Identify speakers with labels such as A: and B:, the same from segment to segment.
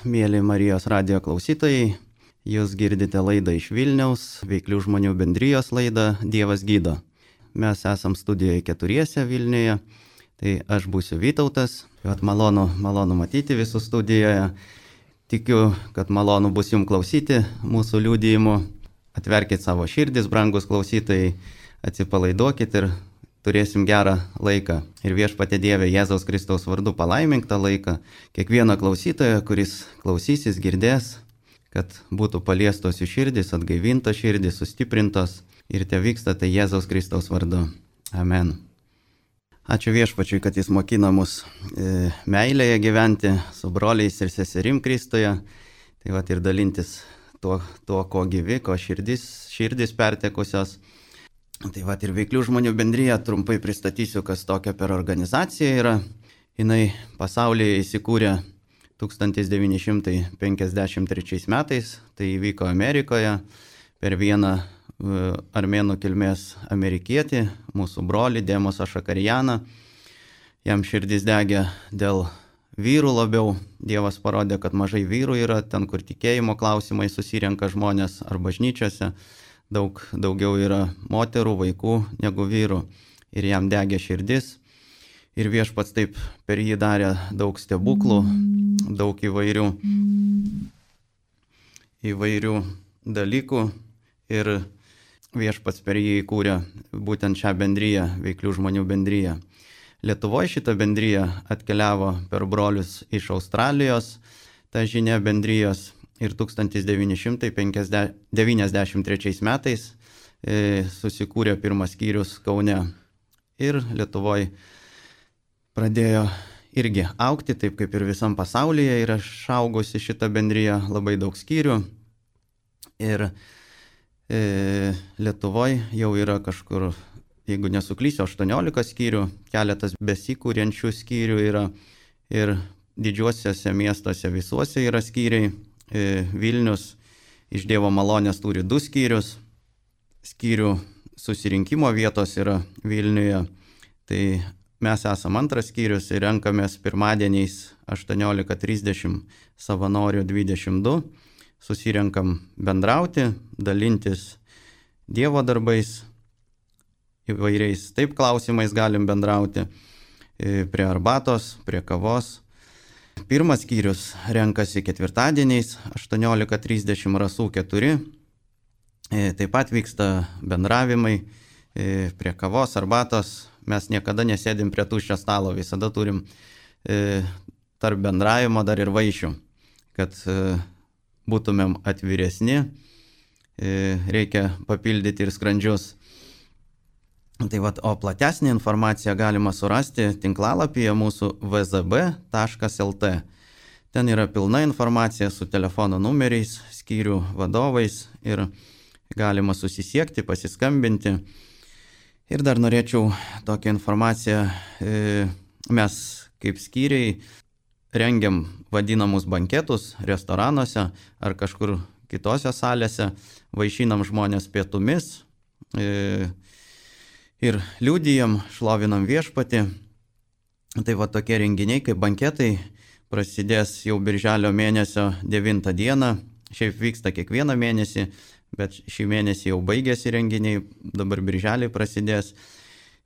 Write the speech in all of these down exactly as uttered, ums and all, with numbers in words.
A: mėly Marijos radijo klausytojai. Jūs girdite laidą iš Vilniaus, Veiklių žmonių bendrijos laidą Dievas gydo. Mes esam studijoje keturiese Vilniuje, tai aš būsiu Vytautas. Vat malonu, malonu matyti visus studijoje. Tikiu, kad malonu bus jums klausyti mūsų liudijimų. Atverkit savo širdis, brangus klausytojai, atsipalaiduokit ir turėsim gerą laiką. Ir Viešpatie Dieve Jėzaus Kristaus vardu palaimink tą laiką. Kiekvieną klausytoją, kuris klausysis, girdės, kad būtų paliestos jų širdis, atgaivintos širdis, sustiprintos ir te vyksta tai Jėzaus Kristaus vardu. Amen. Ačiū Viešpačiui, kad jis mokina mus e, meilėje gyventi su broliais ir seserim Kristuje. Tai vat ir dalintis tuo, tuo ko gyvi, ko širdis, širdis pertekusios. Tai vat ir Veiklių žmonių bendrija, trumpai pristatysiu, kas tokia per organizacija yra. Jinai pasaulyje įsikūrė tūkstantis devyni šimtai penkiasdešimt trečiais metais, tai įvyko Amerikoje per vieną armėnų kilmės amerikietį, mūsų brolį Demosą Šakarijaną. Jam širdis degė dėl vyrų labiau. Dievas parodė, kad mažai vyrų yra ten, kur tikėjimo klausimai susirenka žmonės ar bažnyčiose. Daug daugiau yra moterų, vaikų negu vyrų. Ir jam degė širdis. Ir Viešpats taip per jį darė daug stebuklų, daug įvairių, įvairių dalykų. Ir Viešpats per jį įkūrė būtent šią bendriją, Veiklių žmonių bendriją. Lietuvoje šitą bendriją atkeliavo per brolius iš Australijos, ta žinia bendrijos. Ir tūkstantis devyni šimtai devyniasdešimt trečiais metais e, susikūrė pirmas skyrius Kaune. Ir Lietuvoje pradėjo irgi augti, taip kaip ir visam pasaulyje yra išaugusi šita bendrija, labai daug skyrių. Ir e, Lietuvoje jau yra kažkur, jeigu nesuklysiu, aštuoniolika skyrių, keletas besikūrenčių skyrių yra ir didžiuosiuose miestuose visuose yra skyriai. E, Vilnius iš Dievo malonės turi du skyrius, skyrių susirinkimo vietos yra Vilniuje. Tai mes esam antras skyrius ir renkamės pirmadieniais aštuoniolika trisdešimt savanorių dvidešimt du. Susirenkam bendrauti, dalintis Dievo darbais, įvairiais taip klausimais galim bendrauti, prie arbatos, prie kavos. Pirmas skyrius renkasi ketvirtadieniais aštuoniolika trisdešimt rasų keturi. Taip pat vyksta bendravimai prie kavos, arbatos. Mes niekada nesėdim prie tuščio stalo, visada turim tarp bendravimo dar ir vaišių, kad būtumėm atviresni, reikia papildyti ir skrandžius. Tai vat, o platesnį informaciją galima surasti tinklalapyje mūsų v z b taškas l t. Ten yra pilna informacija su telefono numeriais, skyrių vadovais ir galima susisiekti, pasiskambinti. Ir dar norėčiau tokią informaciją, mes kaip skyriai rengiam vadinamus banketus restoranuose ar kažkur kitose salėse, vaišinam žmonės pietumis ir liudijam, šlovinam Viešpatį. Tai va tokie renginiai kaip banketai prasidės jau birželio mėnesio devintą dieną. Šiaip vyksta kiekvieną mėnesį, bet šį mėnesį jau baigėsi renginiai, dabar birželį prasidės.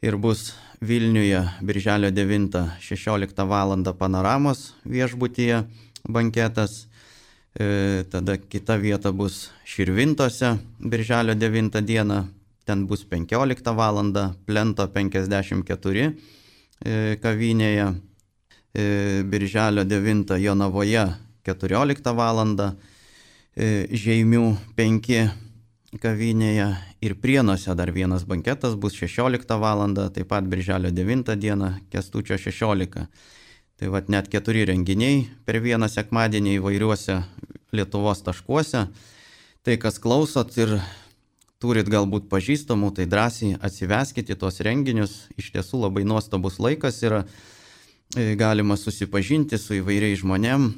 A: Ir bus Vilniuje birželio devintą šešioliktą valandą Panoramos viešbutyje banketas. E, tada kita vieta bus Širvintose birželio devintą dieną. Ten bus penkioliktą valandą Plento penkiasdešimt keturi e, kavinėje. E, birželio devintą Jonavoje keturioliktą valandą e, Žeimių penki kavinėje. Ir Prienuose dar vienas banketas bus šešioliktą valandą, taip pat birželio devintą dieną Kęstučio šešiolika. Tai vat net keturi renginiai per vieną sekmadienį įvairiuose Lietuvos taškuose. Tai kas klausot ir turit galbūt pažįstamų, tai drąsiai atsiveskite tuos renginius. Iš tiesų labai nuostabus laikas yra, galima susipažinti su įvairiais žmonėm,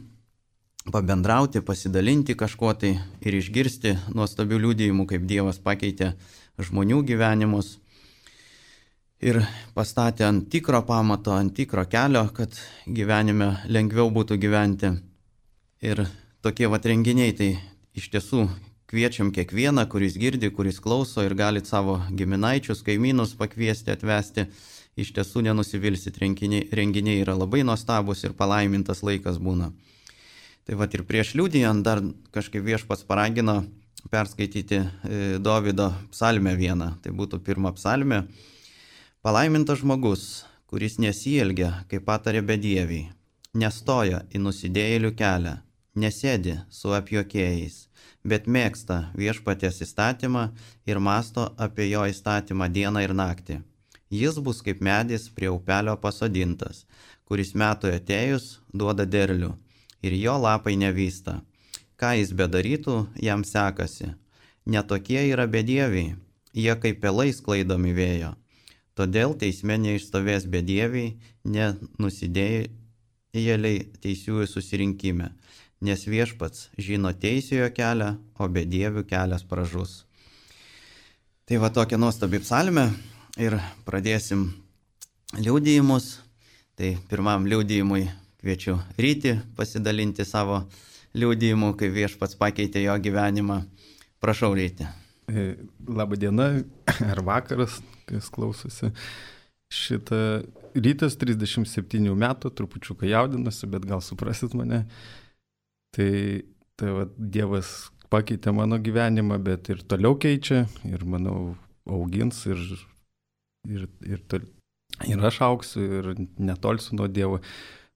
A: pabendrauti, pasidalinti kažkuo tai ir išgirsti nuostabių liudijimų, kaip Dievas pakeitė žmonių gyvenimus. Ir pastatė ant tikro pamato, ant tikro kelio, kad gyvenime lengviau būtų gyventi. Ir tokie vat renginiai, tai iš tiesų kviečiam kiekvieną, kuris girdi, kuris klauso ir galit savo giminaičius, kaimynus pakviesti, atvesti. Iš tiesų nenusivilsit, renginiai, renginiai yra labai nuostabus ir palaimintas laikas būna. Tai vat ir prieš liudijant dar kažkaip Viešpats paragino perskaityti Dovydo psalmę vieną. Tai būtų pirma psalmė. Palaimintas žmogus, kuris nesielgia, kaip patarė bedieviai, nestoja į nusidėjėlių kelią, nesėdi su apjuokėjais, bet mėgsta Viešpaties įstatymą ir masto apie jo įstatymą dieną ir naktį. Jis bus kaip medis prie upelio pasodintas, kuris metui atėjus duoda derlių ir jo lapai nevysta. Ką jis bedarytų, jam sekasi. Netokie yra bedieviai, jie kaip pelai sklaidomi vėjo. Todėl teisme neišstovės bedieviai, ne nusidėjėliai teisiųjų susirinkime, nes Viešpats žino teisėjo kelią, o bedievių kelias pražus. Tai va tokia nuostabi psalmė ir pradėsim liudijimus. Tai pirmam liudijimui kviečiu Rytį pasidalinti savo liudijimu, kai Viešpats pakeitė jo gyvenimą. Prašau, Ryti.
B: Labą dieną ar vakaras, kas klausosi. Šitą Rytas trisdešimt septynių metų, trupučiuką jaudinasi, bet gal suprasit mane. Tai, tai va, Dievas pakeitė mano gyvenimą, bet ir toliau keičia, ir manau augins, ir, ir, ir, tol, ir aš augsiu, ir netolsiu nuo Dievo.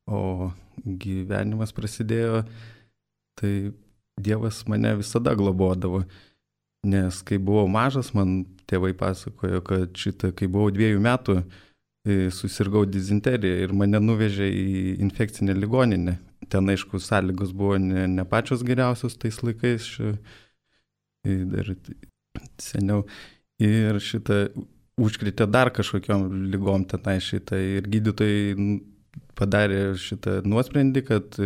B: O gyvenimas prasidėjo, tai Dievas mane visada globodavo. Nes kai buvau mažas, man tėvai pasakojo, kad šitą, kai buvau dviejų metų, susirgau dizenteriją ir mane nuvežė į infekcinę ligoninę. Ten, aišku, sąlygos buvo ne, ne pačios geriausios tais laikais, dar seniau. Ir šitą užkritė dar kažkokiom lygom tenai šitą. Ir gydytojai padarė šitą nuosprendį, kad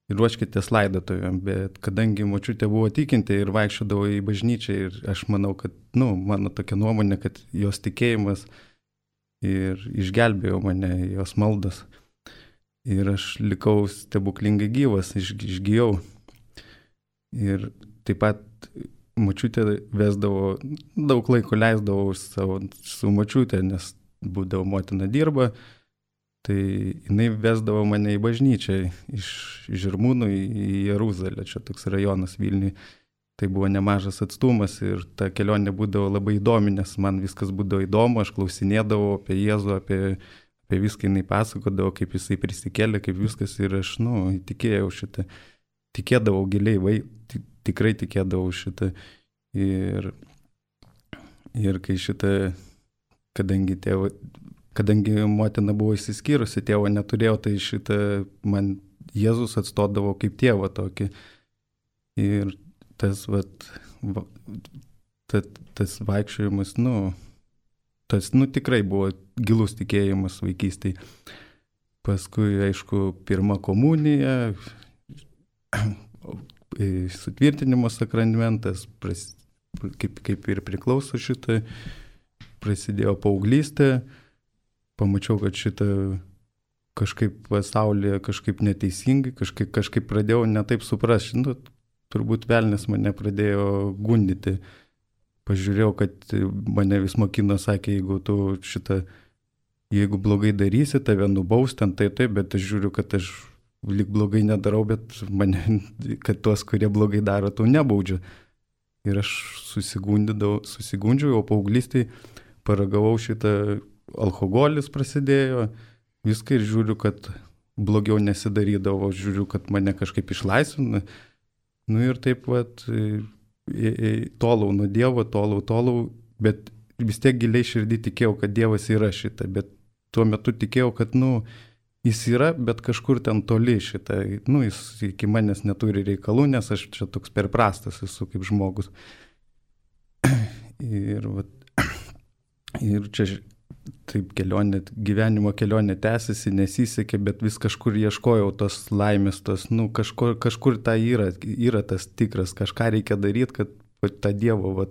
B: ruoškitės laidotuvėm, bet kadangi močiutė buvo tikinti ir vaikščiodavo į bažnyčią ir aš manau, kad, nu, mano tokia nuomonė, kad jos tikėjimas ir išgelbėjo mane, jos maldas. Ir aš likau stebuklingai gyvas, iš, išgyjau. Ir taip pat močiutė vesdavo, daug laiko leisdavau savo, su močiutė, nes būdavo motina dirba. Tai jinai vesdavo mane į bažnyčią iš Žirmūnų į Jeruzalę, čia toks rajonas Vilniui. Tai buvo nemažas atstumas ir ta kelionė būdavo labai įdomi, nes man viskas būdavo įdomu, aš klausinėdavau apie Jėzų, apie, apie viską jinai pasakodavo, kaip jisai prisikėlė, kaip viskas ir aš, nu, tikėjau šitą, tikėdavau giliai, vai, tikrai tikėdavau šitą. Ir, ir kai šitą, kadangi tėvo... Kadangi motina buvo išsiskyrusi, tėvo neturėjau, tai šitą man Jėzus atstodavo kaip tėvą tokį. Ir tas, vat, va, tas, tas vaikščiojimas, nu, tas, nu, tikrai buvo gilus tikėjimas vaikystėje. Paskui, aišku, pirma komunija, sutvirtinimo sakramentas, pras, kaip, kaip ir priklauso šitą, prasidėjo paauglystė. Pamačiau, kad šitą kažkaip pasaulyje kažkaip neteisingai, kažkaip, kažkaip pradėjau netaip suprasti. Nu, turbūt velnias mane pradėjo gundyti. Pažiūrėjau, kad mane vis mokino, sakė, jeigu tu šitą, jeigu blogai darysi, tave nubaus ten, tai taip, bet aš žiūriu, kad aš lyg blogai nedarau, bet mane, kad tuos, kurie blogai daro, tu nebaudžiu. Ir aš susigundžiau, o paauglystėj paragavau šitą, alkoholis prasidėjo, viską ir žiūriu, kad blogiau nesidarydavo, žiūriu, kad mane kažkaip išlaisvina. Nu ir taip vat, tolau nuo Dievo, tolau, tolau, bet vis tiek giliai širdį tikėjau, kad Dievas yra šitą, bet tuo metu tikėjau, kad, nu, jis yra, bet kažkur ten toli šitą, nu, jis iki manęs neturi reikalų, nes aš čia toks per prastas esu kaip žmogus. Ir, vat, ir čia taip kelionė, gyvenimo kelionė tęsiasi, nesisekė, bet vis kažkur ieškojau tos laimės, tos, nu, kažkur, kažkur ta yra, yra tas tikras, kažką reikia daryti, kad kad tą Dievo, va,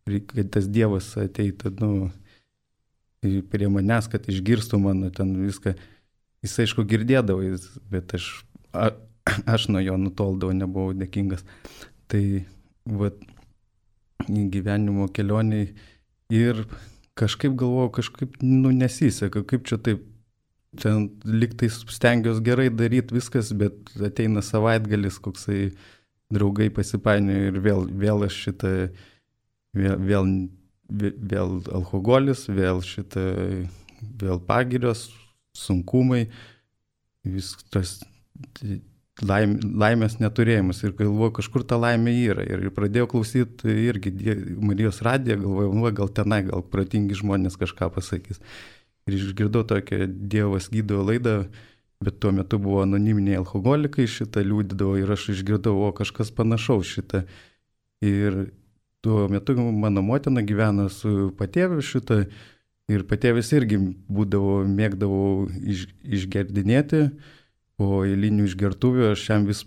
B: kad tas Dievas ateitų, nu, prie manęs, kad išgirstų mano ten viską. Jis, aišku, girdėdavo, bet aš, a, aš nuo jo nutoldavau, nebuvau dėkingas. Tai vat, gyvenimo kelioniai ir kažkaip galvojau, kažkaip nu, nesiseka, kaip čia taip, ten liktai stengiuosi gerai daryti viskas, bet ateina savaitgalis, koksai draugai pasipainioja ir vėl, vėl aš šitą, vėl, vėl, vėl alkoholis, vėl šitą, vėl pagirios, sunkumai, viskas laim, laimės neturėjimas ir galvoju, kažkur ta laimė yra ir pradėjau klausyti irgi Marijos radiją, galvoju, nu, gal tenai, gal protingi žmonės kažką pasakys. Ir išgirdau tokią Dievas gydo laidą, bet tuo metu buvo anoniminiai alkoholikai, šitą liūdydavo ir aš išgirdau, o kažkas panašaus šitą. Ir tuo metu mano motina gyveno su patėviu šitą ir patėvis irgi būdavo, mėgdavo iš, išgerdinėti. Po eilinių išgertuvių aš jam vis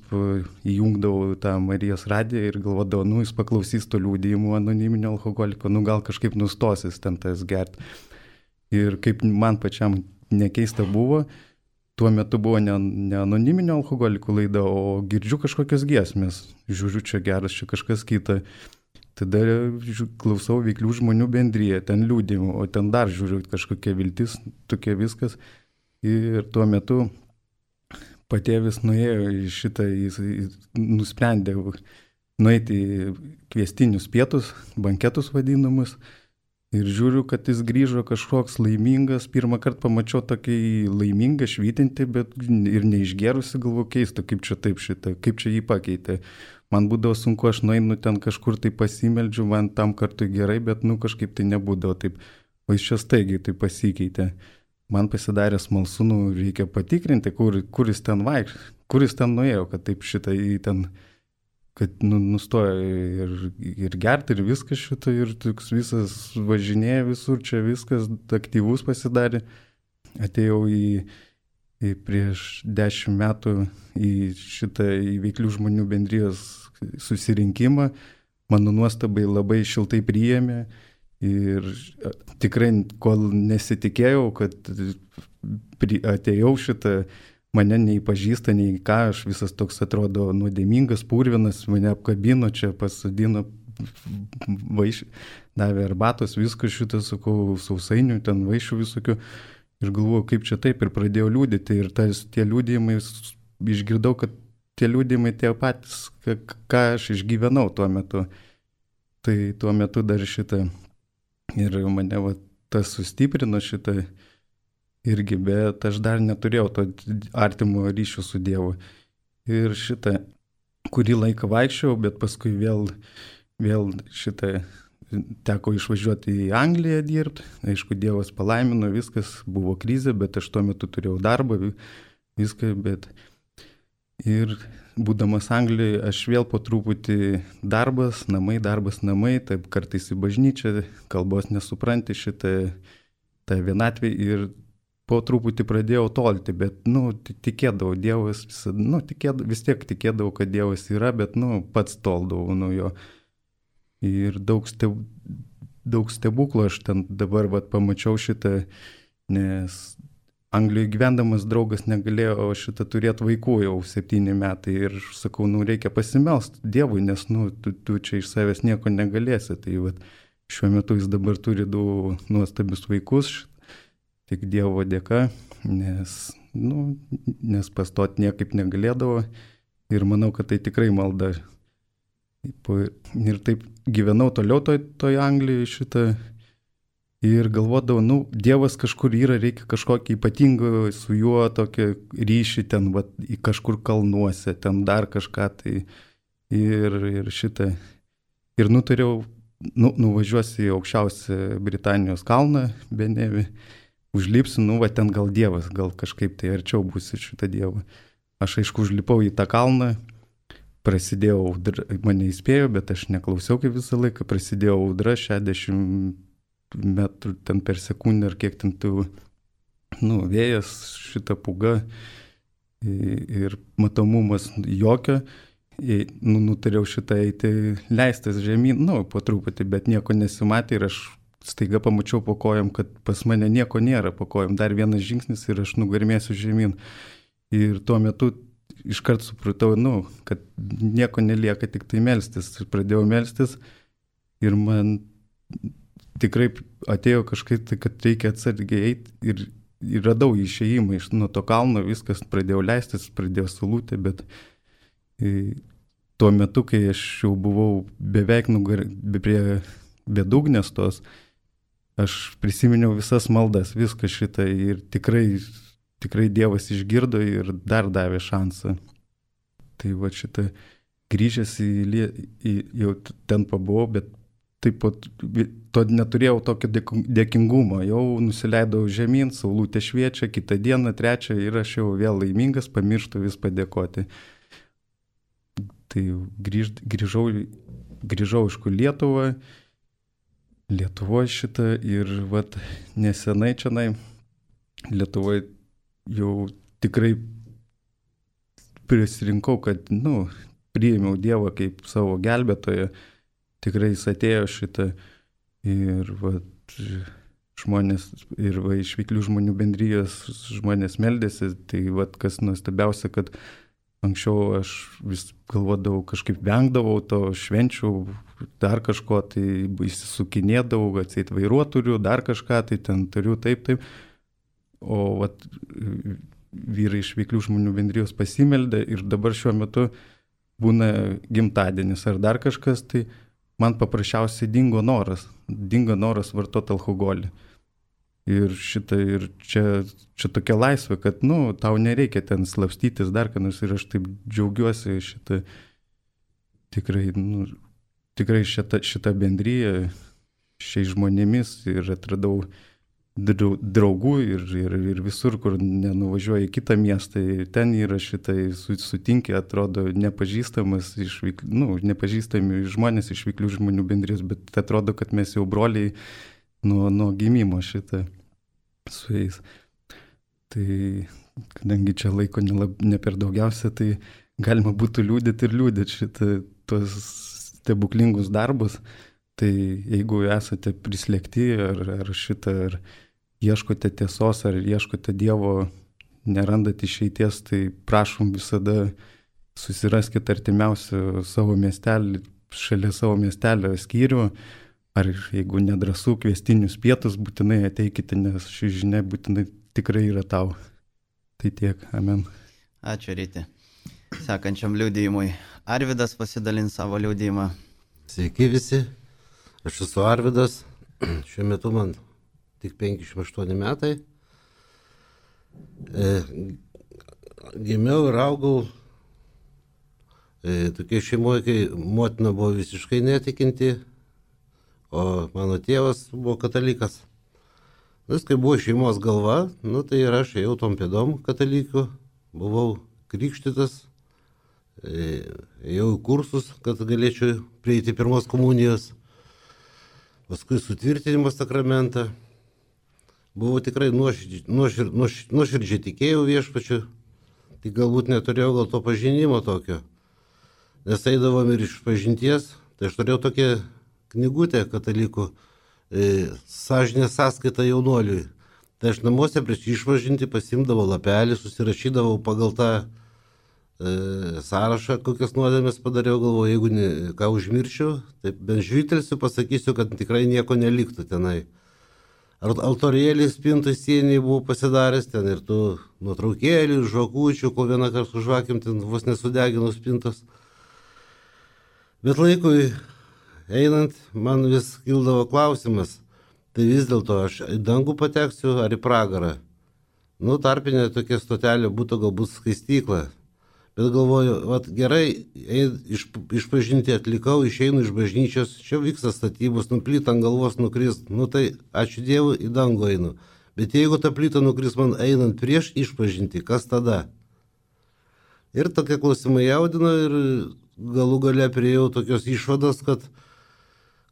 B: įjungdavau tą Marijos radiją ir galvodavau, nu jis paklausys to liūdėjimų anoniminio alkoholiko, nu gal kažkaip nustosis ten tas gert. Ir kaip man pačiam nekeista buvo, tuo metu buvo ne, ne anoniminio alkoholiko laida, o girdžiu kažkokios giesmės. Žiūriu, čia geras, čia kažkas kita. Tada klausau Veiklių žmonių bendriją, ten liūdėjimų, o ten dar žiūriu kažkokia viltis, tokia viskas. Ir tuo metu patėvis nuėjo į šitą, jis, jis nusprendė nueiti į kviestinius pietus, banketus vadinamus. Ir žiūriu, kad jis grįžo kažkoks laimingas. Pirmą kartą pamačiau tokį laimingą, švytinti, bet ir neišgerusi, galvoju, keista, kaip čia taip šitą, kaip čia jį pakeitė. Man būdavo sunku, aš nueinu ten kažkur tai pasimeldžiu, man tam kartui gerai, bet nu kažkaip tai nebūdavo taip. O jis čia staigiai tai pasikeitė. Man pasidarė smalsu, nu, reikia patikrinti, kur, kur jis ten vaikš, kur jis ten nuėjo, kad taip šitą į ten, kad nu, nustojo ir, ir gerti ir viskas šitą, ir toks visas važinėja visur, čia viskas aktyvus pasidarė. Atėjau į, į prieš dešimt metų į šitą į Veiklių žmonių bendrijos susirinkimą, mano nuostabai labai šiltai priėmė. Ir tikrai, kol nesitikėjau, kad atėjau šitą, mane nei pažįsta, nei ką, aš visas toks atrodo nuodėmingas, purvinas, mane apkabino, čia pasadino, vaiš, davė arbatos, viskas šitą, sakau, sausainių, ten vaišių visokių. Ir galvoju, kaip čia taip, ir pradėjau liūdėti. Ir tas, tie liūdėjimai, išgirdau, kad tie liūdėjimai tie patys, ką aš išgyvenau tuo metu. Tai tuo metu dar šitą. Ir mane va, tas sustiprino šitą irgi, bet aš dar neturėjau to artimo ryšio su Dievu. Ir šitą, kurį laiką vaikščiau, bet paskui vėl, vėl šitą teko išvažiuoti į Angliją dirbti. Aišku, Dievas palaimino, viskas buvo krizė, bet aš tuo metu turėjau darbą, viską, bet ir būdamas Anglijoje, aš vėl po truputį darbas, namai, darbas, namai, taip kartais į bažnyčią, kalbos nesupranti šitą tą vienatvę ir po truputį pradėjau tolti, bet, nu, tikėdavau, Dievas, nu, tikėdavau, vis tiek tikėdavau, kad Dievas yra, bet, nu, pats toldavau nuo jo. Ir daug, steb, daug stebuklų aš ten dabar, vat, pamačiau šitą, nes Anglijoje gyvendamas draugas negalėjo šitą turėti vaikų jau septyni metai ir sakau, nu reikia pasimelst Dievui, nes nu, tu, tu čia iš savęs nieko negalėsi. Tai vat, šiuo metu jis dabar turi du nuostabius vaikus, tik Dievo dėka, nes, nu, nes pastot niekaip negalėdavo ir manau, kad tai tikrai malda. Ir taip gyvenau toliau toj, toj Anglijoje šitą. Ir galvodavau, nu, Dievas kažkur yra, reikia kažkokį ypatingą su juo tokį ryšį ten, va, kažkur kalnuose, ten dar kažką tai. Ir, ir šitą. Ir nutariau, nu, nuvažiuosiu į aukščiausią Britanijos kalną, Benevį, užlipsiu, nu, va, ten gal Dievas, gal kažkaip tai arčiau būsiu šitą Dievą. Aš aišku užlipau į tą kalną, prasidėjau, mane įspėjo, bet aš neklausiau kaip visą laiką, prasidėjau audra šešiasdešimt metrų ten per sekundę ar kiek ten tų, nu, vėjas, šita pūga ir matomumas jokio. Nu, nutariau šitą eiti, leistas žemyn, nu, po truputį, bet nieko nesimatė ir aš staiga pamačiau po kojom, kad pas mane nieko nėra po kojom. Dar vienas žingsnis ir aš nugarmėsiu žemyn. Ir tuo metu iškart supratau, nu, kad nieko nelieka, tik tai melstis. Ir pradėjau melstis ir man tikrai atėjo kažkaip tai, kad reikia atsargiai eiti ir, ir radau išėjimą iš nuo to kalno, viskas pradėjau leistis, pradėjau sulūti, bet e, tuo metu, kai aš jau buvau beveik nugar, be, prie bedugnės tos, aš prisiminiau visas maldas, viską šitą ir tikrai, tikrai Dievas išgirdo ir dar davė šansą. Tai va šitą grįžęs į, į jau ten pabuvau, bet taip pat to neturėjau tokio dėkingumo, jau nusileidau žemyn, saulutė šviečia, kitą dieną, trečią ir aš jau vėl laimingas, pamirštu vis padėkoti. Tai grįž, grįžau, grįžau iš kur Lietuvą, Lietuvoje šitą ir vat nesenai čianai Lietuvoje jau tikrai prisirinkau, kad, nu, priėmiau Dievą kaip savo gelbėtoją, tikrai jis atėjo šitą ir vat žmonės, ir va iš Veiklių žmonių bendrijos žmonės meldėsi, tai vat kas nuostabiausia, kad anksčiau aš vis galvodavau, kažkaip vengdavau to švenčių, dar kažko, tai įsisukinėdavau, atseit vairuotojų, dar kažką, tai ten turiu taip, taip. O vat vyrai iš Veiklių žmonių bendrijos pasimeldė ir dabar šiuo metu būna gimtadienis ar dar kažkas, tai man paprasčiausiai dingo noras, dingo noras vartoti alkoholį. Ir šitą, ir čia, čia tokia laisvė, kad, nu, tau nereikia ten slapstytis dar, kad nors ir aš taip džiaugiuosi šitą, tikrai, nu, tikrai šitą, šitą bendryją, šiais žmonėmis ir atradau draugų ir, ir, ir visur, kur nenuvažiuoja į kitą miestą, ten yra šitai sutinki, atrodo nepažįstamas iš, nu, nepažįstami žmonės iš Veiklių žmonių bendrijos, bet atrodo, kad mes jau broliai nuo, nuo gimimo šitą su jais. Tai kadangi čia laiko ne, ne per daugiausia, tai galima būtų liūdėti ir liūdėti šitą tos stebuklingus darbus. Tai jeigu esate prislėgti ar, ar šitą, ar ieškote tiesos, ar ieškote Dievo, nerandat išeities, tai prašom visada susiraskite artimiausią savo miestelį, šalia savo miestelio skyrių, ar jeigu nedrąsų kviestinius pietus, būtinai ateikite, nes ši žinia būtinai tikrai yra tau. Tai tiek, amen.
A: Ačiū, Ryti. Sekančiam liudijimui Arvydas pasidalins savo liudijimą.
C: Sveiki visi, aš esu Arvydas, šiuo metu man tik penkiasdešimt aštuoni metai. E, gimiau ir augau e, tokia šeimoje, kai motina buvo visiškai netikinti, o mano tėvas buvo katalikas. Vis, kai buvo šeimos galva, nu, tai ir aš ėjau tom pėdom katalikų, buvau krikštytas, e, ėjau į kursus, kad galėčiau prieiti pirmos komunijos, paskui sutvirtinimo sakramentą. Buvau tikrai nuoširdžiai, nuošir, nuoš, nuoširdžiai tikėjau viešpačiu, tik galbūt neturėjau gal to pažinimo tokio. Nes eidavom ir iš pažinties, tai aš turėjau tokią knygutę katalikų, e, sąžinės sąskaita jaunuoliui. Tai aš namuose prieš išpažinti pasimdavau lapelį, susirašydavau pagal tą e, sąrašą, kokias nuodėmės padariau, galvoju, jeigu ne, ką užmiršiu, tai bent žvytelsiu, pasakysiu, kad tikrai nieko neliktų tenai. Altorėlį spintui sieniai buvau pasidaręs, ten ir tų nuotraukėlių, žvakučių, kol vieną kartą su žvakėm ten vos nesudeginus spintos. Bet laikui einant, man vis kildavo klausimas, tai vis dėlto aš į dangų pateksiu ar į pragarą. Nu, tarpinė tokia stotelė būtų galbūt skaistykla. Bet galvoju, vat, gerai, iš, išpažinti atlikau, išeinu iš bažnyčios, čia vyksta statybos, nu plyta ant galvos nukris, nu tai ačiū Dievui, į dangų einu. Bet jeigu ta plyta nukris man einant prieš išpažinti, kas tada? Ir tokie klausimai jaudino ir galų gale priėjau tokios išvados, kad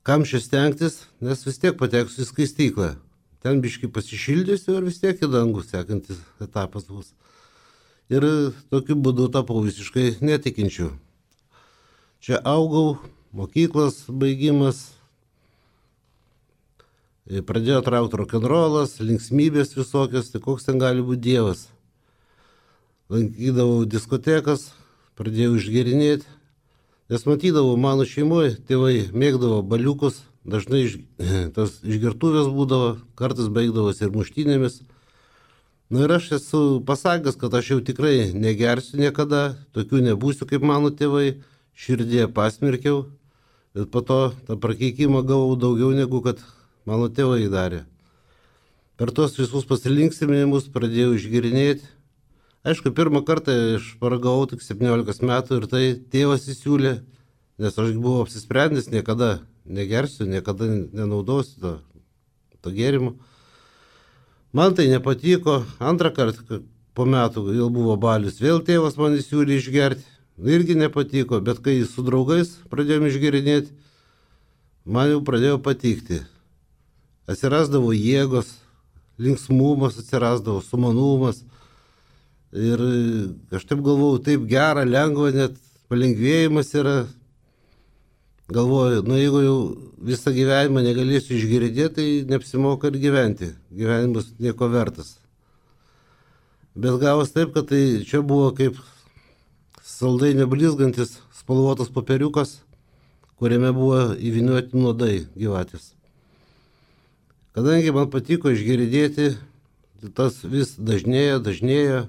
C: kam čia stengtis, nes vis tiek pateksiu į skaistyklą. Ten biškai pasišildysiu ir vis tiek į dangų sekantis etapas bus. Ir tokiu būdu tapau visiškai netikinčiu. Čia augau, mokyklos baigimas, pradėjo traukti rokenrolas, linksmybės visokios, tai koks ten gali būti Dievas. lankydavau diskotekas, pradėjau išgerinėti, nes matydavau mano šeimoje, tėvai mėgdavo baliukus, dažnai iš, tas išgertuvės būdavo, kartais baigdavosi ir muštynėmis. Na ir aš esu pasakęs, kad aš jau tikrai negersiu niekada, tokių nebūsiu kaip mano tėvai, širdėje pasmerkiau, bet po to tą prakeikimą gavau daugiau negu kad mano tėvai darė. Per tos visus pasilinksminimus pradėjau išgerinėti. Aišku, pirmą kartą aš paragavau tik septyniolikos metų ir tai tėvas įsiūlė, nes aš buvau apsisprendęs, niekada negersiu, niekada nenaudosiu to, to gėrimo. Man tai nepatiko, antrą kartą po metų vėl buvo balius, vėl tėvas man įsiūlė išgerti, irgi nepatiko, bet kai su draugais pradėjome išgerinėti, man jau pradėjo patikti. Atsirasdavo jėgos, linksmumas atsirasdavo, sumanumas. Ir aš taip galvoju, taip gera, lengva, net palengvėjimas yra. Galvoju, nu jeigu jau visą gyvenimą negalėsiu išgirdėti, tai neapsimoka ir gyventi. Gyvenimas nieko vertas. Bet gavos taip, kad tai čia buvo kaip saldai neblizgantis spalvotas popieriukas, kuriame buvo įvynioti nuodai gyvatės. Kadangi man patiko išgirdėti, tas vis dažnėja, dažnėja,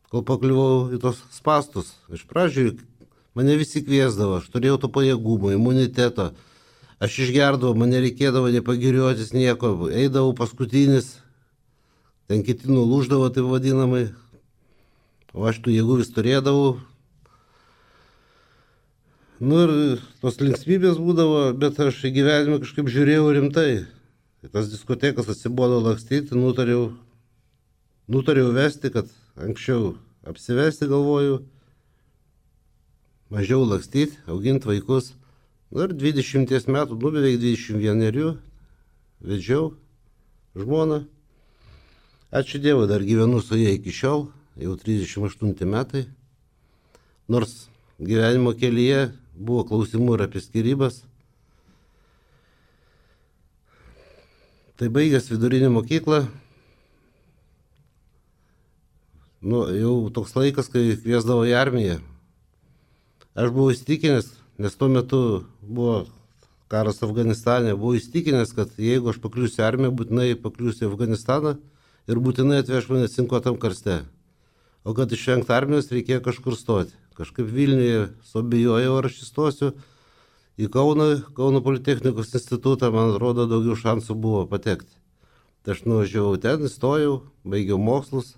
C: kol pakliuvau į tos spastus. Iš pradžių mane visi kviesdavo, aš turėjau to pajėgumo, imuniteto. Aš išgerdavau, man nereikėdavo nepagiriuotis nieko, eidavau paskutinis, ten kiti nulūždavo, taip vadinamai. O aš tų jėgų vis turėdavau. Nu ir tos linksmybės būdavo, bet aš į gyvenimą kažkaip žiūrėjau rimtai. Tas diskotekas atsibodo lakstyti, nutariau, nutariau vesti, kad anksčiau apsivesti galvoju, mažiau lakstyti, auginti vaikus. Ir dvidešimties metų, nu beveik dvidešimt vienerių, vedžiau žmoną. Ačiū Dievui, dar gyvenu su ja iki šiol, jau trisdešimt aštunti metai. Nors gyvenimo kelyje buvo klausimų ir apie skyrybas. Tai baigęs vidurinę mokyklą, nu, jau toks laikas, kai kviesdavo į armiją. Aš buvau įstikinęs, nes tuo metu buvo karas Afganistane, buvau įstikinęs, kad jeigu aš pakliūsiu į armiją, būtinai pakliūsiu į Afganistaną ir būtinai atveš mane cinkuotam karste. O kad išvengti armijos, reikėjo kažkur stoti. Kažkaip Vilniuje suabejojau, ar aš įstosiu į Kauną, Kauno Politechnikos institutą, man atrodo, daugiau šansų buvo patekti. Tai aš nuvažiavau ten, įstojau, baigiau mokslus.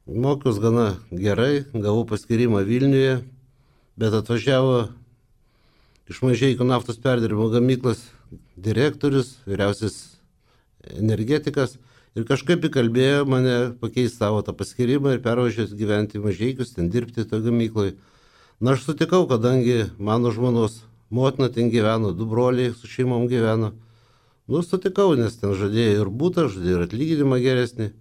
C: Mokiaus gana gerai, gavau paskyrimą Vilniuje, bet atvažiavo iš Mažeikių naftos perdirbimo gamyklos direktorius, vyriausias energetikas ir kažkaip įkalbėjo mane pakeisti savo tą paskyrimą ir pervažiuoti gyventi į Mažeikius, ten dirbti toje gamykloje. Na, aš sutikau, kadangi mano žmonos motina ten gyveno, du broliai su šeimom gyveno. Nu, sutikau, nes ten žadėjo ir būtą, žadėjo ir atlyginimą geresnį.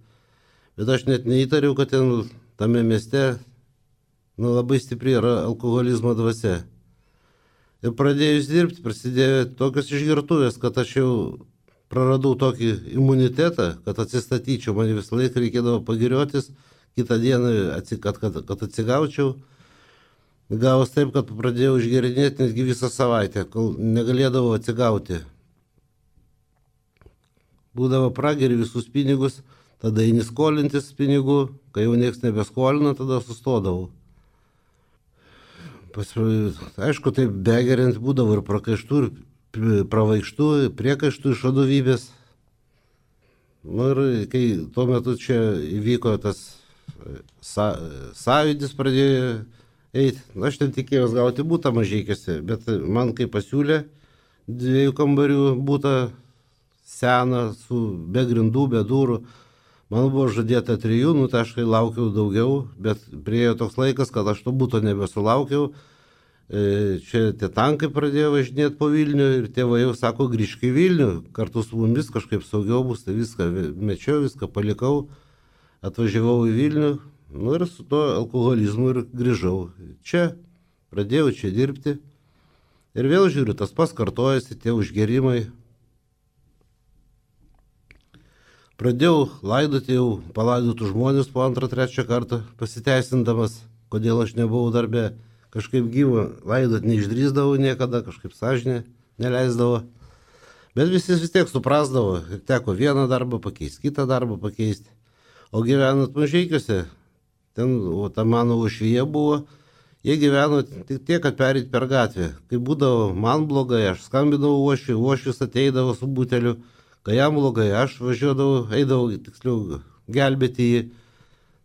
C: Bet aš net neįtariau, kad ten tame mieste nu, labai stipri yra alkoholizmo dvasia. Ir pradėjus dirbti, prasidėjo tokios išgertuvės, kad aš jau praradau tokį imunitetą, kad atsistatyčiau. Man visą laiką reikėdavo pagiriotis, kitą dieną, kad, kad, kad atsigaučiau. Gavos taip, kad pradėjau išgerinėti netgi visą savaitę, kol negalėdavau atsigauti. Būdavo prageri visus pinigus, tada eini skolintis pinigų, kai jau nieks nebeskolina, tada sustodavau. Pas, aišku, taip begeriant būdavo ir prakaištų, ir pravaikštų, priekaištų iš vadovybės. Nu ir kai tuo metu čia įvyko tas sa, sąjūdis pradėjo eiti, aš ten tikėjausi gauti būtą Mažeikiuose, bet man kai pasiūlė dviejų kambarių būtą seną, su be grindų, be durų, man buvo žadėta trijų, nu tai aš kai laukiau daugiau, bet priėjo toks laikas, kad aš to būto nebesulaukiau. Čia tie tankai pradėjo važinėti po Vilnių ir tėvai jau sako, grįžk į Vilnių, kartu su mumis kažkaip saugiau bus, tai viską mečiau, viską palikau, atvažiavau į Vilnių, nu ir su to alkoholizmu ir grįžau. Čia pradėjau čia dirbti ir vėl žiūriu, tas pats kartojasi, tie užgerimai. Pradėjau laidoti jau palaidotų žmonės po antrą, trečią kartą, pasiteisindamas, kodėl aš nebuvau darbe. Kažkaip gyvo laidot neišdrįsdavau niekada, kažkaip sąžinė neleisdavo. Bet visi vis tiek suprasdavo, teko vieną darbą pakeisti, kitą darbą pakeisti. O gyvenant Mažeikiuose, ten o ta mano uošvyje buvo, jie gyveno tik tiek, kad perėti per gatvę. Kai būdavo man blogai, aš skambinau uošviui, uošvis ateidavo su buteliu, kai jam blogai, aš važiuodavau, eidavau, tiksliau, gelbėti jį.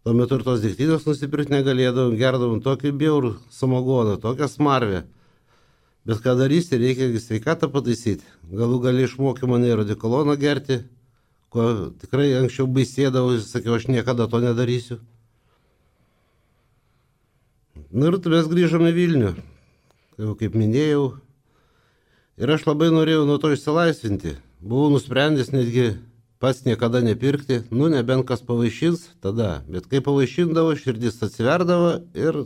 C: Tuo metu ir tos degtinės nusipirkti negalėdavom, gerdavom tokį bjaurų samagoną, tokią smarvę. Bet ką darysi, reikia sveikatą pataisyti. Galų gali išmokė mane radikoloną gerti, ko tikrai anksčiau baisėdavau, sakiau, aš niekada to nedarysiu. Na ir mes grįžome į Vilnių, jau kaip minėjau. Ir aš labai norėjau nuo to išsilaisvinti. Buvau nusprendęs netgi pats niekada nepirkti, nu nebent kas pavaišins, tada. Bet kai pavaišindavo, širdis atsiverdavo ir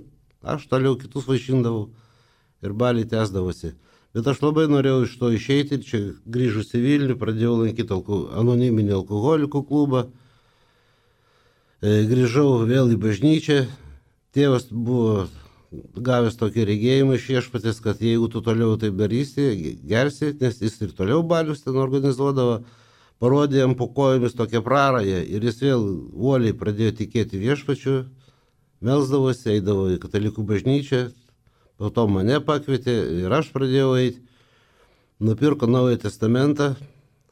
C: aš toliau kitus vaišindavau ir baliai tęsdavosi. Bet aš labai norėjau iš to išeiti, čia grįžus į Vilnių, pradėjau lankyti alko, anoniminį alkoholikų klubą. E, grįžau vėl į bažnyčią. Tėvas buvo gavęs tokį regėjimą iš viešpatės, kad jeigu tu toliau taip darysi, gersi, nes jis ir toliau balius ten organizuodavo. Parodė jam po kojomis tokią prarają ir jis vėl uoliai pradėjo tikėti viešpačiu, melsdavosi, eidavo į katalikų bažnyčią, po to mane pakvietė ir aš pradėjau eiti, nupirko Naują Testamentą,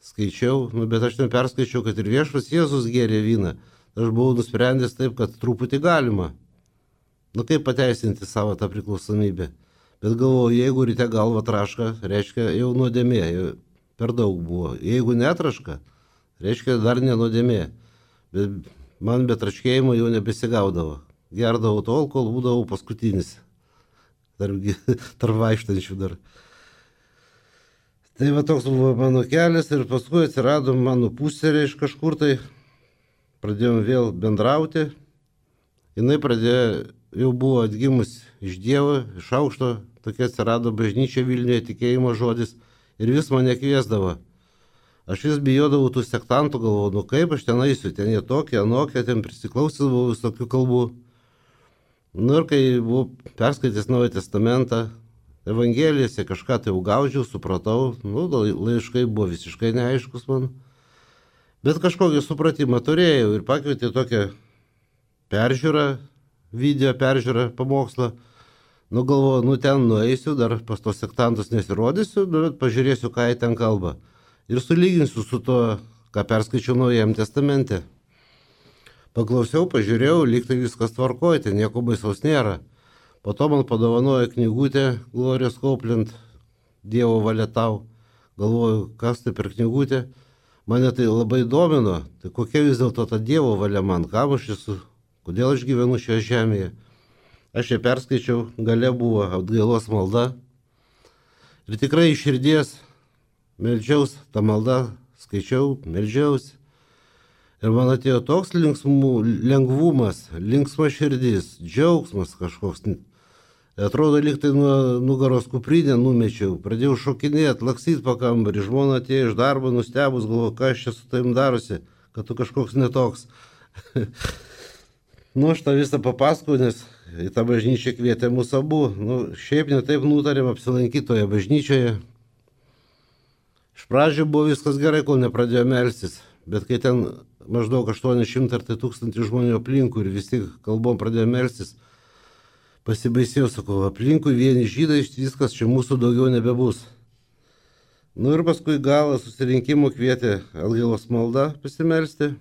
C: skaičiau, nu, bet aš ten perskaičiau, kad ir viešpas Jėzus gėrė vyną, aš buvau nusprendęs taip, kad truputį galima, nu kaip pateisinti savo tą priklausomybę, bet galvoju, jeigu ryte galva traška, reiškia jau nuodėmė, jau per daug buvo. Jeigu netraška, reiškia dar nenuodėmė. Bet man be traškėjimo jau nebesigaudavo. Gerdavau tol, kol būdavau paskutinis. Tarp, tarp vaikštančių dar. Tai va toks buvo mano kelias ir paskui atsirado mano pusserė iš kažkur tai. Pradėjom vėl bendrauti. Jinai pradėjo, jau buvo atgimus iš Dievo, iš aukšto. Tokia atsirado bažnyčia Vilniuje, tikėjimo žodis. Ir vis mane kviesdavo. Aš vis bijodavau tų sektantų, galvoju, nu kaip aš ten eisiu, ten jie tokie, anokie, ten prisiklausęs buvau visokių kalbų. Nu ir kai buvau perskaitęs Naują Testamentą, Evangelijose kažką tai jau gaudžiau, supratau, nu laiškai buvo visiškai neaiškus man. Bet kažkokį supratimą turėjau ir pakvietė tokią peržiūrą, video peržiūrą, pamokslą. Nu galvoju, nu ten nueisiu, dar pas tos sektantus nesirodysiu, bet pažiūrėsiu, ką jie ten kalba. Ir sulyginsiu su to, ką perskaičiau Naujajam Testamente. Paklausiau, pažiūrėjau, lyg tai viskas tvarkoja, ten nieko baisaus nėra. Po to man padovanojo knygutę Glorijos Copeland, Dievo valia tau. Galvoju, kas tai per knygutę. Mane tai labai domino, tai kokia vis dėlto ta Dievo valia man, kam aš esu, kodėl aš gyvenu šioje žemėje. Aš ją perskaičiau, gale buvo atgailos malda. Ir tikrai iš širdies meldžiaus, tą maldą skaičiau, meldžiausi. Ir man atėjo toks linksmų, lengvumas, linksma širdis, džiaugsmas kažkoks. Atrodo, lyg tai nuo nugaros kuprinę numečiau. Pradėjau šokinėti, laksyti po kambarį. Žmona atėjo iš darbo, nustebus, galvoju, ką aš čia su tavim darosi, kad tu kažkoks netoks. Nu, aš tą visą papasakau, nes į tą bažnyčią kvietė mūsų abu. Nu, šiaip netaip nutarėm apsilankyti toje bažnyčioje. Iš pradžių buvo viskas gerai, kol nepradėjo melstis. Bet kai ten maždaug aštuoni šimtai ar tai tūkstantį žmonių aplinkui ir visi kalbom pradėjo melstis, pasibaisėjau, sakau, aplinkui vieni žydai, viskas čia mūsų daugiau nebebus. Nu ir paskui galą susirinkimo kvietė atgailos malda pasimelsti.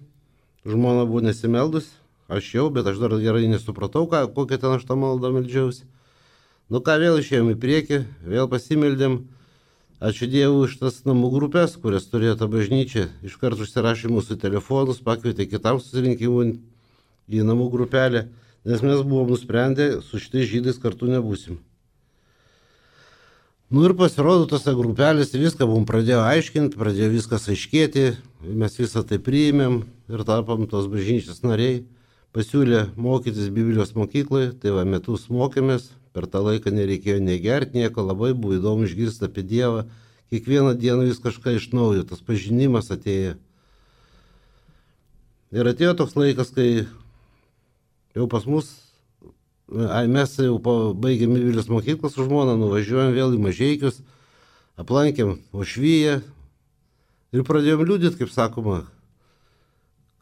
C: Žmona buvo nesimeldus. Aš jau, bet aš dar gerai nesupratau, ką, kokią ten aš tą maldą meldžiausi. Nu ką, vėl išėjom į priekį, vėl pasimeldėm. Ačiū Dievui už tas namų grupės, kurias turėjo ta bažnyčia. Iškart užsirašė mūsų telefonus, pakvietė kitam susirinkimui į namų grupelę, nes mes buvom nusprendę, su šitais žydais kartu nebūsim. Nu ir pasirodo tose grupelėse viską buvom pradėjo aiškinti, pradėjo viskas aiškėti, mes visą tai priėmėm ir tapom tos bažnyčios nariai. Pasiūlė mokytis Biblijos mokykloje, tai va metus mokėmės, per tą laiką nereikėjo negerti nieko, labai buvo įdomu išgirsti apie Dievą, kiekvieną dieną vis kažką iš naujo, tas pažinimas atėjo. Ir atėjo toks laikas, kai jau pas mus, ai, mes jau baigėme Vilniaus mokyklą su žmona, nuvažiuojam vėl į Mažeikius, aplankėm Ošvyje ir pradėjom liūdėti, kaip sakoma,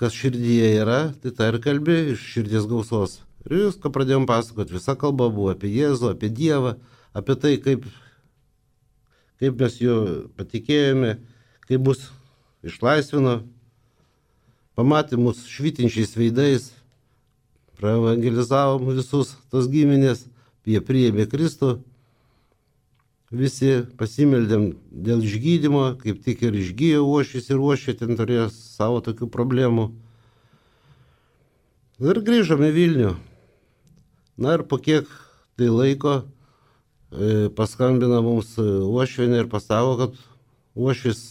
C: kas širdyje yra, tai tai ir kalbė iš širdies gausos. Ir viską pradėjom pasakoti, visa kalba buvo apie Jėzų, apie Dievą, apie tai, kaip, kaip mes jo patikėjome, kaip mus išlaisvino, pamatė mus švytinčiais veidais, praevangelizavom visus tos giminės, jie priėmė Kristų, visi pasimeldėm dėl išgydymo, kaip tik ir išgyjo Uošvis ir Uošvė ten turėjo savo tokių problemų. Ir grįžome į Vilnių. Na ir po kiek tai laiko e, paskambina mums Uošvienė ir pasako, kad Uošvis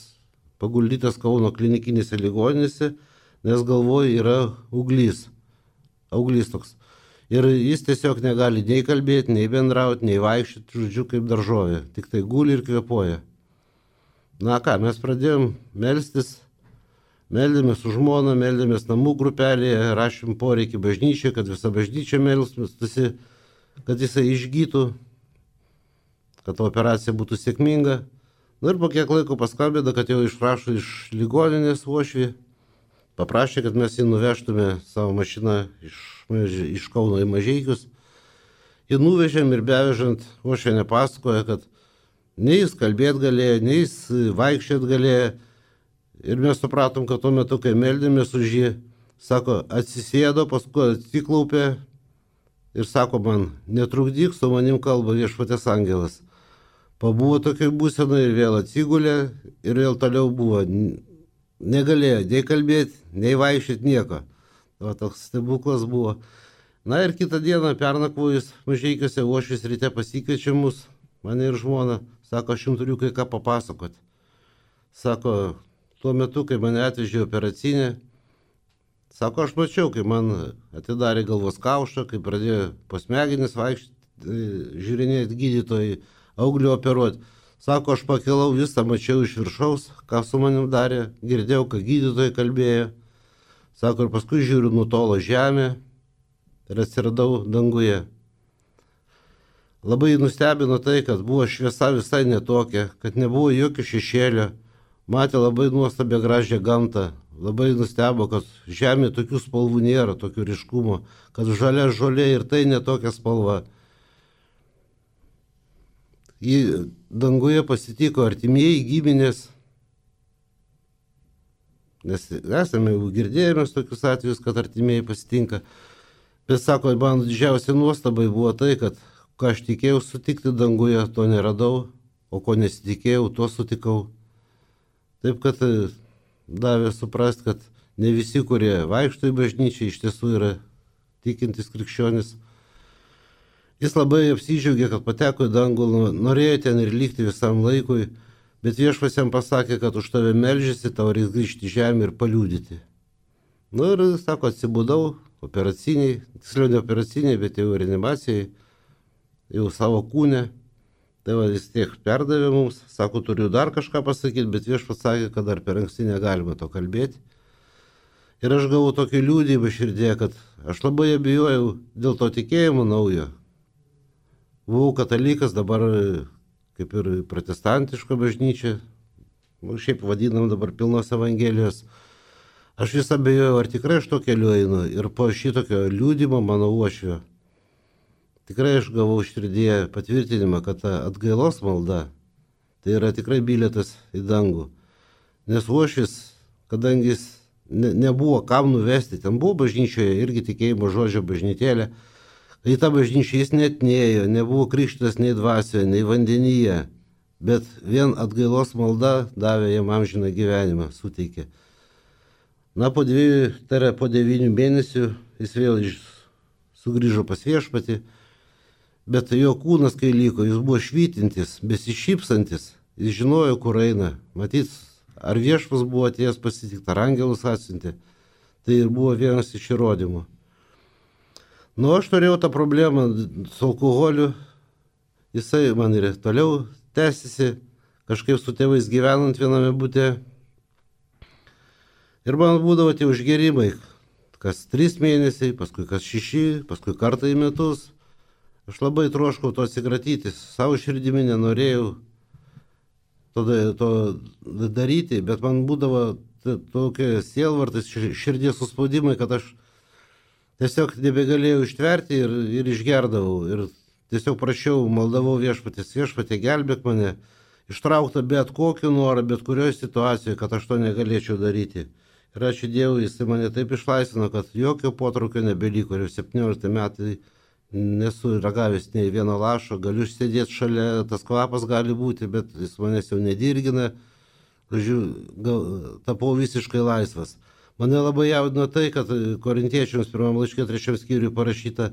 C: paguldytas Kauno klinikinėse ligoninėse, nes galvoje yra auglys. Auglys toks. Ir jis tiesiog negali nei kalbėti, nei bendrauti, nei vaikščioti, žodžiu, kaip daržovė. Tik tai guli ir kvėpuoja. Na ką, mes pradėjom melstis, meldėmės su žmona, meldėmės namų grupelėje, rašėm poreikį bažnyčiai, kad visa bažnyčia melstųsi, kad jisai išgytų, kad operacija būtų sėkminga. Na ir po kiek laiko paskambino, kad jau išrašo iš ligoninės Uošvį. Paprašė, kad mes jį nuvežtume savo mašiną iš, iš Kauno į Mažeikius. Jį nuvežėm ir bevežant Uošvienė pasakoja, kad nei jis kalbėti galėjo, nei jis vaikščioti galėjo. Ir mes supratom, kad tuo metu, kai meldėmės už jį, sako, atsisėdo, paskui atsiklaupė ir sako man, netrukdyk, su manim kalba Viešpaties angelas. Pabuvo tokiai būsenai ir vėl atsigulė ir vėl toliau buvo. Negalėjo nei kalbėti, nei vaikščioti nieko. O toks stebuklas buvo. Na ir kitą dieną pernakvojus Mažeikiuose Uošvis ryte pasikviečia mus, mane ir žmoną. Sako, aš jums turiu kai ką papasakoti. Sako, tuo metu, kai mane atvežė operacinę, sako, aš mačiau, kai man atidarė galvos kaušą, kai pradėjo po smegenis vaikščioti, žiūrinėti gydytojai, auglį operuoti. Sako, aš pakilau visą, mačiau iš viršaus, ką su manim darė, girdėjau, ką gydytojai kalbėjo. Sako, ir paskui žiūriu, nutolo žemė ir atsiradau danguje. Labai nustebino tai, kad buvo šviesa visai netokia, kad nebuvo jokio šešėlio, matė labai nuostabią gražią gamtą. Labai nustebo, kad žemė tokių spalvų nėra, tokių ryškumo, kad žalia žolė ir tai netokia spalva. Jį danguje pasitiko artimieji giminės, nes esame jau girdėjome tokius atvejus, kad artimieji pasitinka. Bet sako, man didžiausia nuostabai buvo tai, kad ką aš tikėjau sutikti danguje, to neradau, o ko nesitikėjau, to sutikau. Taip, kad davė suprasti, kad ne visi, kurie vaikšto į bažnyčią, iš tiesų yra tikintis krikščionis. Jis labai apsidžiaugė, kad pateko į dangų, norėjo ten ir likti visam laikui, bet Viešpats jam pasakė, kad už tave meldžiasi, tau reiks grįžti į žemę ir paliudyti. Na ir, sako, atsibudau operaciniai, tiksliau ne operaciniai, bet jau reanimacijai, jau savo kūne. Tai va, jis tiek perdavė mums, sako, turiu dar kažką pasakyti, bet Viešpats sakė, kad dar per anksti negalima to kalbėti. Ir aš gavau tokį liūdėjimą širdėje, kad aš labai abejojau dėl to tikėjimo naujo. Buvau katalikas, dabar kaip ir protestantiška bažnyčia, šiaip vadinam dabar pilnos evangelijos. Aš vis abejojau, ar tikrai aš to keliu einu. Ir po šitokio liūdimo mano Uošvio, tikrai aš gavau širdyje patvirtinimą, kad ta atgailos malda, tai yra tikrai bilietas į dangų. Nes Uošvis, kadangi jis ne, nebuvo kam nuvesti, ten buvo bažnyčioje irgi tikėjimo žodžio bažnytėlė, į tą bažnyčią jis net nėjo, nebuvo krikštytas nei dvasioje, nei vandenyje, bet vien atgailos malda davė jam amžiną gyvenimą, suteikė. Na, po dviejų, tai yra po devynių mėnesių jis vėl sugrįžo pas Viešpatį, bet jo kūnas, kai liko, jis buvo švytintis, besišypsantis, jis žinojo, kur eina. Matyt, ar Viešpats buvo atėjęs pasitikti, ar angelus atsiuntė, tai ir buvo vienas iš įrodymų. Nu, aš turėjau tą problemą su alkoholiu, jisai man ir toliau tęsiasi, kažkaip su tėvais gyvenant viename bute. Ir man būdavo tie užgerimai, kas trys mėnesiai, paskui kas šeši, paskui kartą į metus. Aš labai troškau to atsikratyti, savo širdimi nenorėjau to, to daryti, bet man būdavo tokie sielvartais, širdies suspaudimai, kad aš tiesiog nebegalėjau ištverti ir, ir išgerdavau. Ir tiesiog prašiau, maldavau viešpatės, viešpatė gelbėk mane, ištraukta bet kokiu norą, bet kurioje situacijoje, kad aš to negalėčiau daryti. Ir ačiū Dievui, jis mane taip išlaisvino, kad jokio potraukio nebeliko. Ir septyniolikti metai nesu ragavęs nei vieno lašo, galiu sėdėti šalia, tas kvapas gali būti, bet jis manęs jau nedirgina. Žodžiu, tapau visiškai laisvas. Mane labai jaudino tai, kad Korintiečiams pirmam laiške trečiam skyriui parašyta,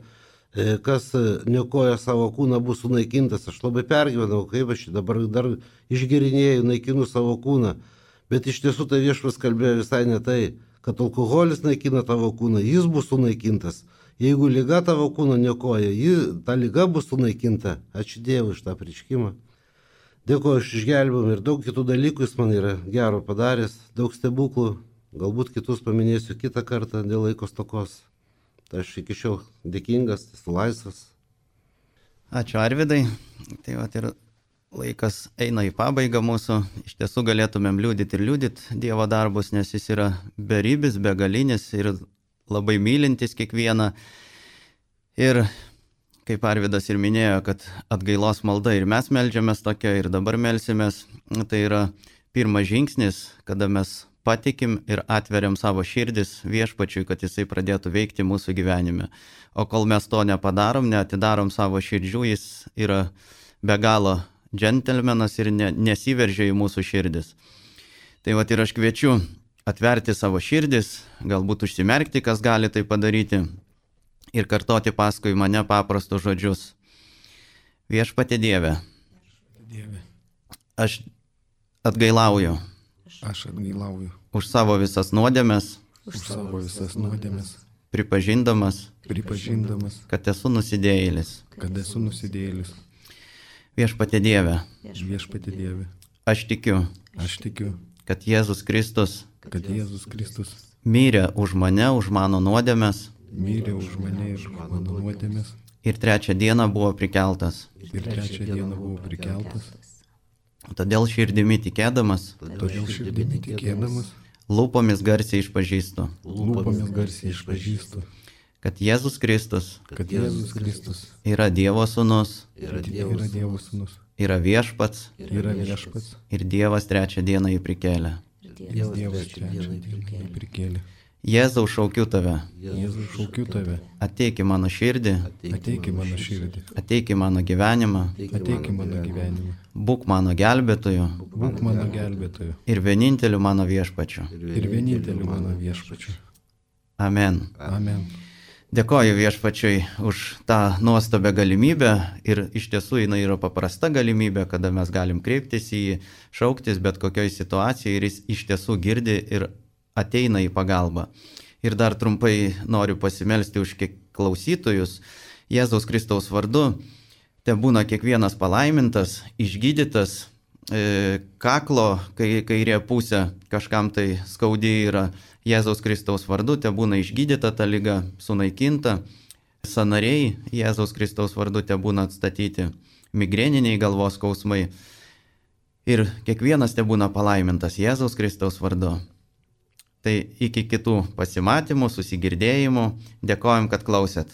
C: kas niokoja savo kūną bus sunaikintas. Aš labai pergyvenau, kaip aš dabar dar išgerinėjau, naikinu savo kūną. Bet iš tiesų tai viešpas kalbėjo visai ne tai, kad alkoholis naikina tavo kūną, jis bus sunaikintas. Jeigu liga tavo kūno niokoja, ji, ta liga bus sunaikinta. Ačiū Dievui už tą apreiškimą. Dėkuoju už išgelbėjimą ir daug kitų dalykų jis man yra gero padaręs, daug stebuklų. Galbūt kitus paminėsiu kitą kartą dėl laiko stokos. Tai aš iki šiol dėkingas, esu laisvas.
A: Ačiū Arvydai. Tai vat ir laikas eina į pabaigą mūsų. Iš tiesų galėtumėm liūdyti ir liūdyti Dievo darbus, nes jis yra beribis, begalinis ir labai mylintis kiekvieną. Ir kaip Arvydas ir minėjo, kad atgailos malda ir mes meldžiamės tokia ir dabar melsimės. Tai yra pirmas žingsnis, kada mes patikim ir atveriam savo širdis viešpačiui, kad jisai pradėtų veikti mūsų gyvenime. O kol mes to nepadarom, neatidarom savo širdžių, jis yra be galo džentelmenas ir ne, nesiveržia į mūsų širdis. Tai vat ir aš kviečiu atverti savo širdis, galbūt užsimerkti, kas gali tai padaryti ir kartoti paskui mane paprastus žodžius. Viešpatie Dieve,
B: Dieve,
A: aš atgailauju.
B: Aš atgailauju.
A: Už savo visas nuodėmes.
B: Už savo visas nuodėmes.
A: Pripažindamas.
B: Pripažindamas.
A: Kad esu nusidėjėlis.
B: Kad esu nusidėjėlis.
A: Viešpatie Dieve.
B: Viešpatie Dieve.
A: Aš tikiu.
B: Aš tikiu.
A: Kad Jėzus Kristus.
B: Kad Jėzus Kristus.
A: Mirė už mane, už mano nuodėmes.
B: Mirė už mane ir už mano nuodėmes.
A: Ir trečią dieną buvo prikeltas.
B: Ir trečią dieną buvo prikeltas.
A: Todėl širdimi tikėdamas,
B: Todėl širdimi tikėdamas,
A: lūpomis garsiai išpažįstu,
B: lūpomis garsiai išpažįstu,
A: kad Jėzus Kristus
B: kad Jėzus Kristus
A: yra Dievo sūnus,
B: yra Dievo sūnus,
A: yra viešpats
B: yra viešpats
A: ir Dievas trečią dieną jį prikėlė.
B: ir Dievas trečią dieną jį prikėlė.
A: Jėzau, šaukiu tave,
B: Jėzau, šaukiu tave,
A: ateik į mano širdį,
B: ateik į mano širdį,
A: ateik į mano gyvenimą,
B: ateik į mano gyvenimą,
A: būk mano gelbėtoju
B: būk mano gelbėtoju
A: ir vieninteliu mano viešpačiu.
B: ir vieninteliu mano viešpačiu.
A: Amen.
B: Amen.
A: Dėkoju viešpačiui už tą nuostabią galimybę ir iš tiesų jinai yra paprasta galimybė, kada mes galim kreiptis į jį, šauktis bet kokioj situacijai ir jis iš tiesų girdi ir ateina į pagalbą. Ir dar trumpai noriu pasimelsti už kiek klausytojus. Jėzaus Kristaus vardu te būna kiekvienas palaimintas, išgydytas, e, kaklo kai, kairė pusė kažkam tai skaudi yra. Jėzaus Kristaus vardu te būna išgydyta ta liga, sunaikinta. Sanariai Jėzaus Kristaus vardu te būna atstatyti, migreniniai galvos skausmai. Ir kiekvienas te būna palaimintas Jėzaus Kristaus vardu. Tai iki kitų pasimatymų, susigirdėjimų. Dėkojom, kad klausėt.